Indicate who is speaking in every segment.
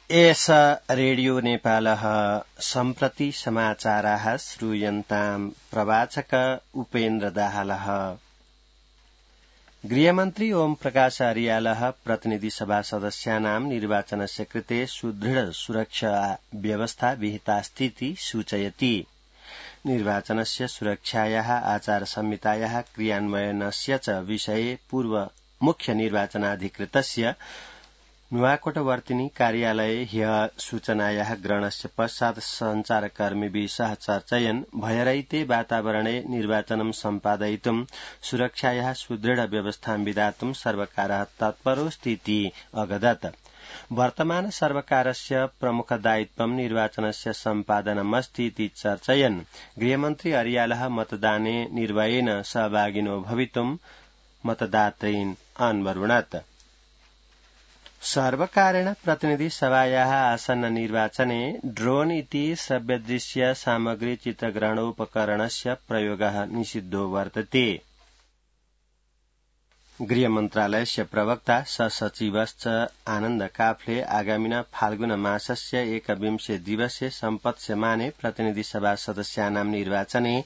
Speaker 1: एष रेडियो नेपालः सम्प्रति समाचाराः श्रूयन्ताम् प्रवाचक उपेन्द्र दाहालः। गृहमन्त्री ओम प्रकाश अर्यालः प्रतिनिधि सभा सदस्यानां निर्वाचनस्य कृते सुदृढ सुरक्षा व्यवस्था विहितास्तीति सूचयति। निर्वाचनस्य सुरक्षायाः आचार संहितायाः क्रियान्वयनस्य च विषये पूर्व मुख्य निर्वाचनाधिकृतस्य नुवाकोटवर्तिनी कार्यालये ह्यः सूचनायाः ग्रहणस्य पश्चात् सञ्चारकर्मिभिः सह चर्चयन् भयरहिते वातावरणे निर्वाचनं सम्पादयितुं सुरक्षायाः सुदृढ व्यवस्थां विधातुं सर्वकारः तत्परोऽस्तीति अगदत्। वर्तमान सर्वकारस्य प्रमुख दायित्वं निर्वाचनस्य सम्पादनमस्ति इति चर्चयन् गृहमन्त्री अर्यालः मतदाने निर्भयेन सहभागिनो भवितुं मतदातॄन् अन्वरुणत्। सर्वकारेण प्रतिनिधि सभायाः आसन्न निर्वाचने ड्रोन इति श्रव्यदृश्य सामग्री चित्रग्रहणोपकरणस्य प्रयोगः निषिद्धो वर्तते। गृहमन्त्रालयस्य प्रवक्ता सचिवश्च आनन्द काफले आगामिना फाल्गुन मासस्य 21 दिवसे सम्पत्स्यमाने प्रतिनिधि सभा सदस्यानां निर्वाचने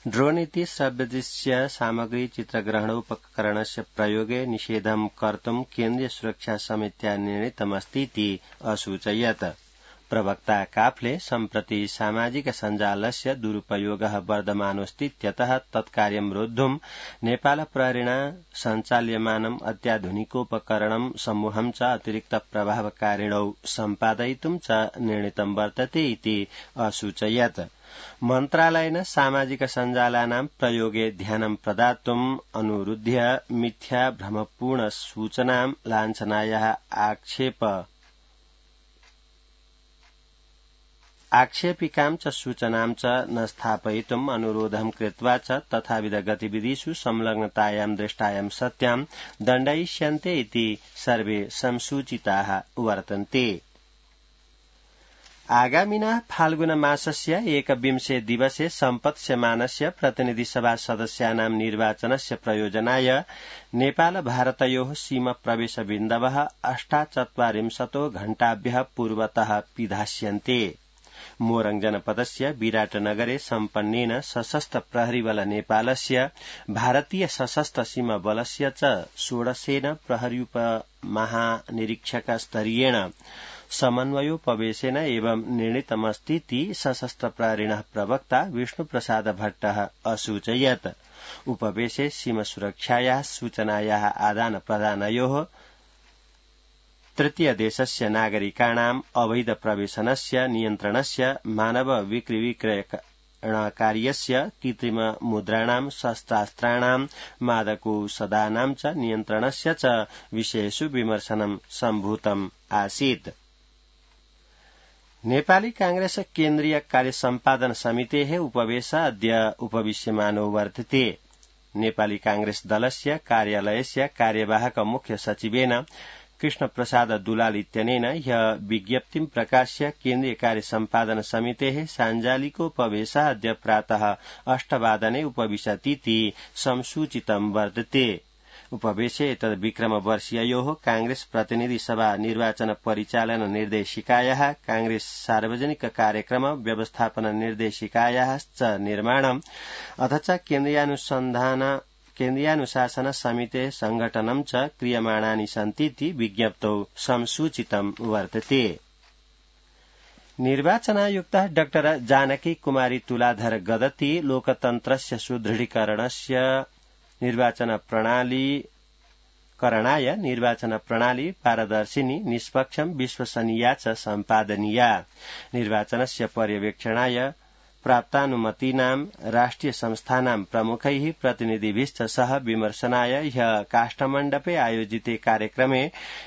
Speaker 1: ड्रोन इति श्रव्यदृश्य सामग्री चित्रग्रहणोपकरणस्य प्रयोगे निषेधं कर्तुं केन्द्रीय सुरक्षा समित्या निर्णीतमस्तीति असूचयत्। प्रवक्ता काफले सम्प्रति सामाजिक सञ्जालस्य दुरुपयोगः वर्धमानोऽस्तीत्यतः तत्कार्यं रोद्धुं नेपाल प्रहरिणा सञ्चाल्यमानम् अत्याधुनिकोपकरणं समूहं च अतिरिक्त प्रभावकारिणौ सम्पादयितुं च निर्णीतं वर्तते इति असूचयत्। मन्त्रालयेन सामाजिक सञ्जालानां प्रयोगे ध्यानं प्रदातुम् अनुरुध्य मिथ्या भ्रमपूर्ण सूचनां लाञ्छनायाः आक्षेपिकां च सूचनां च न स्थापयितुम् अनुरोधं कृत्वा च तथाविध गतिविधिषु संलग्नतायां दृष्टायां सत्यां दण्डयिष्यन्ते इति सर्वे संसूचिताः वर्तन्ते। आगामिना फाल्गुन मासस्य 21 दिवसे सम्पत्स्यमानस्य प्रतिनिधि सभा सदस्यानां निर्वाचनस्य प्रयोजनाय नेपाल भारतयोः सीमा प्रवेश बिन्दवः 48 घण्टाभ्यः पूर्वतः पिधास्यन्ते। मोरङ जनपदस्य विराटनगरे सम्पन्नेन सशस्त्र प्रहरीबल नेपालस्य भारतीय सशस्त्र सीमा बलस्य च 16 प्रहरीउप महानिरीक्षक स्तरीयेण समन्वयोपवेशेन एवं निर्णीतमस्तीति सशस्त्र प्रहरिणः प्रवक्ता विष्णुप्रसाद भट्टः असूचयत्। उपवेशे सीमा सुरक्षायाः सूचनायाः आदान प्रदानयोः तृतीय देशस्य नागरिकाणाम् अवैध प्रवेशनस्य नियन्त्रणस्य मानव विक्रयकार्यस्य कृत्रिम मुद्राणां शस्त्रास्त्राणां मादकोषधानां च नियन्त्रणस्य च विषयेषु विमर्शनं सम्भूतम् आसीत्। नेपाली कांग्रेस केन्द्रीय कार्य सम्पादन समितेः उपवेश अद्य उपविश्यमानो वर्तते। नेपाली कांग्रेस दलस्य कार्यालयस्य कार्यवाहक मुख्य सचिवेन कृष्ण प्रसाद दुलाल इत्यनेन ह्यः विज्ञप्तिं प्रकाश्य केन्द्रीय कार्य सम्पादन समितेः साञ्जालिकोपवेशः अद्य प्रातः 8 वादने उपविशतीति संसूचितं वर्तते। उपवेशे एतद्विक्रम वर्षीययोः कांग्रेस प्रतिनिधि सभा निर्वाचन परिचालन निर्देशिकायाः कांग्रेस सार्वजनिक कार्यक्रम व्यवस्थापन निर्देशिकायाः च निर्माणम् अथ च केन्द्रीयानुशासन समितेः संघटनं च क्रियमाणानि सन्तीति विज्ञप्तौ संसूचितं वर्तते। निर्वाचनायुक्तः डॉ जानकी कुमारी तुलाधर गदती लोकतन्त्रस्य सुदृढीकरणस्य करणाय निर्वाचन प्रणाली पारदर्शिनी निष्पक्षं विश्वसनीया च सम्पादनीया निर्वाचनस्य पर्यवेक्षणाय प्राप्तानुमतीनां राष्ट्रिय संस्थानां प्रमुखैः प्रतिनिधिभिश्च सह विमर्शनाय ह्यः काष्ठमण्डपे आयोजिते कार्यक्रमे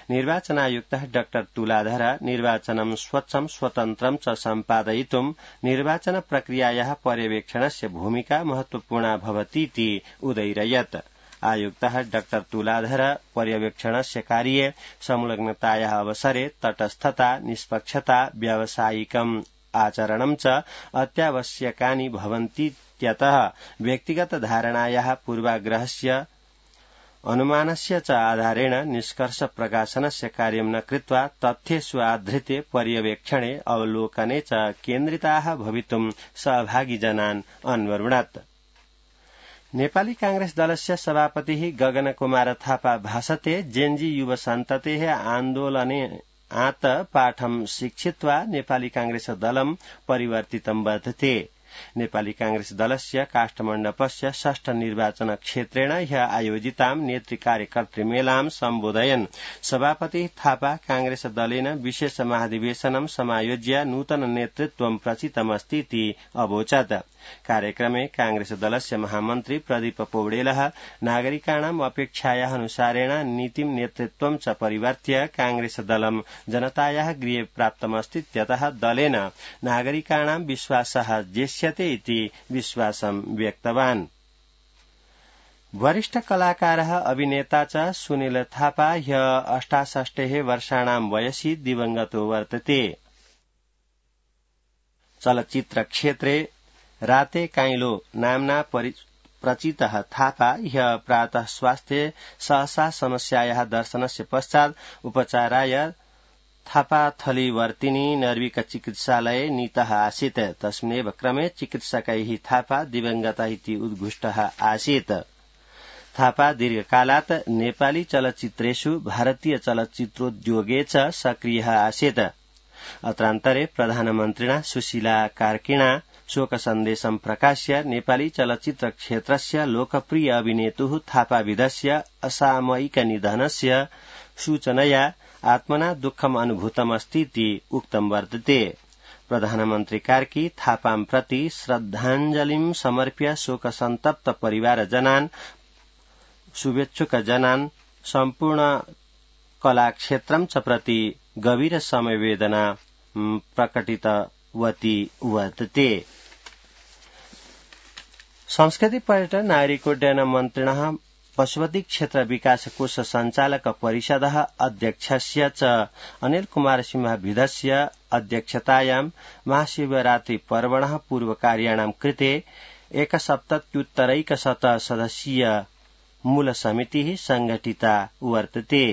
Speaker 1: निर्वाचनायुक्तः डॉ तुलाधर निर्वाचनं स्वच्छं स्वतन्त्रं च सम्पादयितुं निर्वाचन प्रक्रियायाः पर्यवेक्षणस्य भूमिका महत्वपूर्णा भवतीति उदयिरयत्। आयुक्तः डॉ तुलाधर पर्यवेक्षणस्य कार्ये संलग्नतायाः अवसरे तटस्थता निष्पक्षता व्यावसायिकम् आचरणं च अत्यावश्यकानि भवन्तीत्यतः व्यक्तिगत धारणायाः पूर्वाग्रहस्य अनुमानस्य च आधारेण निष्कर्ष प्रकाशनस्य कार्यं न कृत्वा तथ्येषु आधृत्य पर्यवेक्षणे अवलोकने च केन्द्रिताः भवितुं सहभागी जनान् अन्वरुणत्। नेपाली कांग्रेस दलस्य सभापतिः गगन कुमार थापा भाषते जेन्जी युव सन्ततेः आन्दोलने आत पाठं शिक्षित्वा नेपाली कांग्रेस दलं परिवर्तितं वर्तते। नेपाली कांग्रेस दलस्य काष्ठमण्डपस्य षष्ठ निर्वाचन क्षेत्रेण ह्य आयोजितां नेतृ कार्यकर्तृ मेलां सम्बोधयन् सभापति थापा कांग्रेस दलेन विशेष महाधिवेशनं समायोज्य नूतन नेतृत्वं प्रचितमस्ति इति अवोचत्। कार्यक्रमे कांग्रेस दलस्य महामन्त्री प्रदीप पौडेलः नागरिकाणाम् अपेक्षायाः अनुसारेण नीतिं नेतृत्वं च परिवर्त्य कांग्रेस दलं जनतायाः गृहे प्राप्तमस्तीत्यतः दलेन नागरिकाणां विश्वासः जेष्यते इति विश्वासं व्यक्तवान्। वरिष्ठ कलाकारः अभिनेता च सुनील थापा ह्य 68 वर्षाणां वयसि दिवंगतो वर्तते। चलचित्र क्षेत्रे राते काइलो नाम्ना प्रचितः थापा ह्य प्रातः स्वास्थ्ये सहसा समस्यायाः दर्शनस्य पश्चात् उपचाराय थापाथलीवर्तिनी नर्विक चिकित्सालये नीतः आसीत्। तस्मिन्नेव क्रमे चिकित्सकैः थापा दिवंगतः इति उद्घुष्टः आसीत्। थापा दीर्घकालात् नेपाली चलचित्रेषु भारतीय चलचित्रोद्योगे च सक्रियः आसीत्। अत्रान्तरे प्रधानमन्त्रिणा सुशीला कार्किणा शोक सन्देशं प्रकाश्य नेपाली चलचित्र क्षेत्रस्य लोकप्रिय अभिनेतुः थापाविधस्य असामयिक निधनस्य सूचनया आत्मना दुःखम् अनुभूतमस्तीति उक्तं वर्तते। प्रधानमन्त्री कार्की थापां प्रति श्रद्धाञ्जलिं समर्प्य शोक सन्तप्त परिवारजनान् शुभेच्छुकजनान् सम्पूर्ण कलाक्षेत्रं च प्रति गभीर समवेदना प्रकटितवती वर्तते। संस्कृति पर्यटन नागरिक उड्डयन मन्त्रिणः पशुपति क्षेत्र विकास कोष सञ्चालक परिषदः अध्यक्षस्य च अनिल कुमार सिंहविधस्य अध्यक्षतायां महाशिवरात्रि पर्वणः पूर्वकार्याणां कृते 170 सदस्यीय मूल समितिः संघटिता वर्तते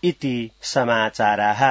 Speaker 1: इति समाचाराः।